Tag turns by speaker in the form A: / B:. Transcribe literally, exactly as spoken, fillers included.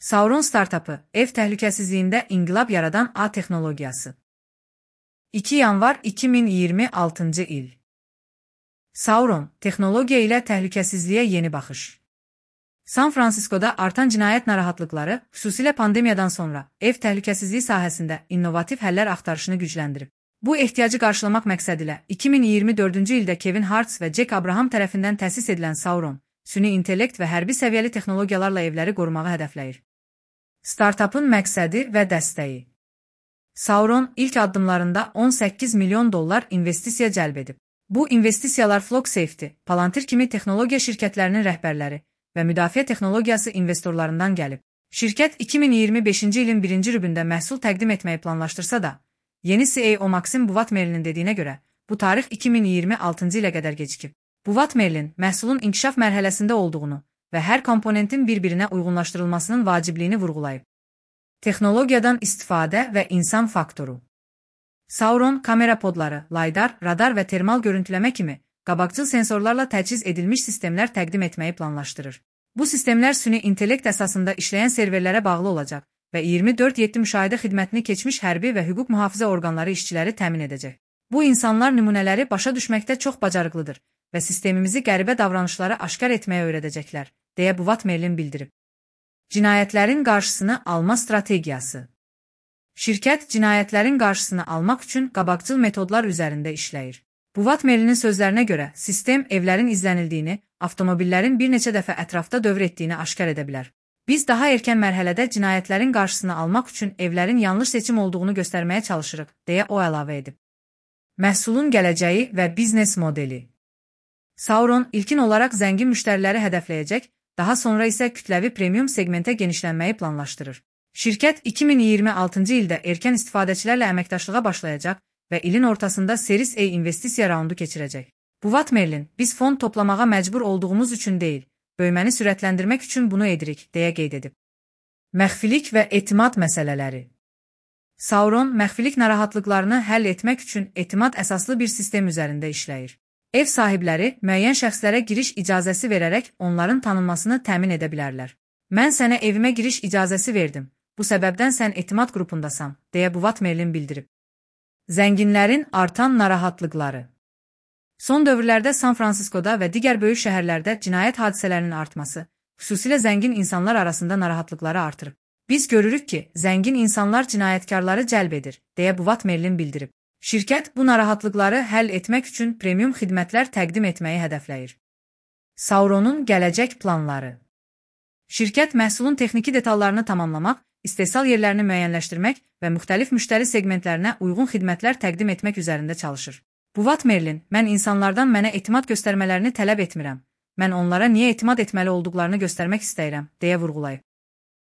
A: Sauron startapı, ev təhlükəsizliyində inqilab yaradan A texnologiyası. iki yanvar iki min iyirmi altıncı il. Sauron, texnologiya ilə təhlükəsizliyə yeni baxış. San Fransiskoda artan cinayət narahatlıqları, xüsusilə pandemiyadan sonra ev təhlükəsizliyi sahəsində innovativ həllər axtarışını gücləndirib. Bu ehtiyacı qarşılamaq məqsədilə iki min iyirmi dördüncü ildə Kevin Hartz və Jack Abraham tərəfindən təsis edilən Sauron, süni intellekt və hərbi səviyyəli texnologiyalarla evləri qorumağı hədəfləyir. Startapın məqsədi və dəstəyi. Sauron ilk addımlarında on səkkiz milyon dollar investisiya cəlb edib. Bu investisiyalar Flock Safety, Palantir kimi texnologiya şirkətlərinin rəhbərləri və müdafiə texnologiyası investorlarından gəlib. Şirkət iki min iyirmi beşinci ilin birinci rübündə məhsul təqdim etməyi planlaşdırsa da, yeni C E O Maxim Buvatmerlin dediyinə görə, bu tarix iki min iyirmi altıncı ilə qədər gecikib. Buvatmerlin məhsulun inkişaf mərhələsində olduğunu və hər komponentin bir-birinə uyğunlaşdırılmasının vacibliyini vurğulayıb. Texnologiyadan istifadə və insan faktoru. Sauron kamera podları, laydar, radar və termal görüntüləmə kimi qabaqcıl sensorlarla təchiz edilmiş sistemlər təqdim etməyi planlaşdırır. Bu sistemlər süni intellekt əsasında işləyən serverlərə bağlı olacaq və iyirmi dörd yeddi müşahidə xidmətini keçmiş hərbi və hüquq mühafizə orqanları işçiləri təmin edəcək. Bu insanlar nümunələri başa düşməkdə çox bacarıqlıdır və sistemimizi qəribə davranışları aşkar etməyə öyrədəcəklər, deyə Buvatmerlin bildirib. Cinayətlərin qarşısını alma strategiyası. Şirkət cinayətlərin qarşısını almaq üçün qabaqcıl metodlar üzərində işləyir. Buvatmerlinin sözlərinə görə, sistem evlərin izlənildiyini, avtomobillərin bir neçə dəfə ətrafda dövr etdiyini aşkar edə bilər. Biz daha erkən mərhələdə cinayətlərin qarşısını almaq üçün evlərin yanlış seçim olduğunu göstərməyə çalışırıq, deyə o əlavə edib. Məhsulun gələcəyi və biznes modeli. Sauron ilkin olaraq zəngin müştəriləri hədəfləyəcək, daha sonra isə kütləvi premium segmentə genişlənməyi planlaşdırır. Şirkət iki min iyirmi altıncı ildə erkən istifadəçilərlə əməkdaşlığa başlayacaq və ilin ortasında Series A investisiya raundu keçirəcək. Buvatmerlin, biz fond toplamağa məcbur olduğumuz üçün deyil, böyüməni sürətləndirmək üçün bunu edirik, deyə qeyd edib. Məxfilik və etimad məsələləri. Sauron, məxfilik narahatlıqlarını həll etmək üçün etimad əsaslı bir sistem üzərində işləyir. Ev sahibləri müəyyən şəxslərə giriş icazəsi verərək onların tanınmasını təmin edə bilərlər. Mən sənə evimə giriş icazəsi verdim, bu səbəbdən sən etimad qrupundasan, deyə Buvatmerlin bildirib. Zənginlərin artan narahatlıqları. Son dövrlərdə San Fransiskoda və digər böyük şəhərlərdə cinayət hadisələrinin artması, xüsusilə zəngin insanlar arasında narahatlıqları artırıb. Biz görürük ki, zəngin insanlar cinayətkarları cəlb edir, deyə Buvatmerlin bildirib. Şirkət bu narahatlıqları həll etmək üçün premium xidmətlər təqdim etməyi hədəfləyir. Sauronun gələcək planları. Şirkət məhsulun texniki detallarını tamamlamaq, istehsal yerlərini müəyyənləşdirmək və müxtəlif müştəri segmentlərinə uyğun xidmətlər təqdim etmək üzərində çalışır. Buvatmerlin, mən insanlardan mənə etimad göstərmələrini tələb etmirəm. Mən onlara niyə etimad etməli olduqlarını göstərmək istəyirəm, deyə vurğulayıb.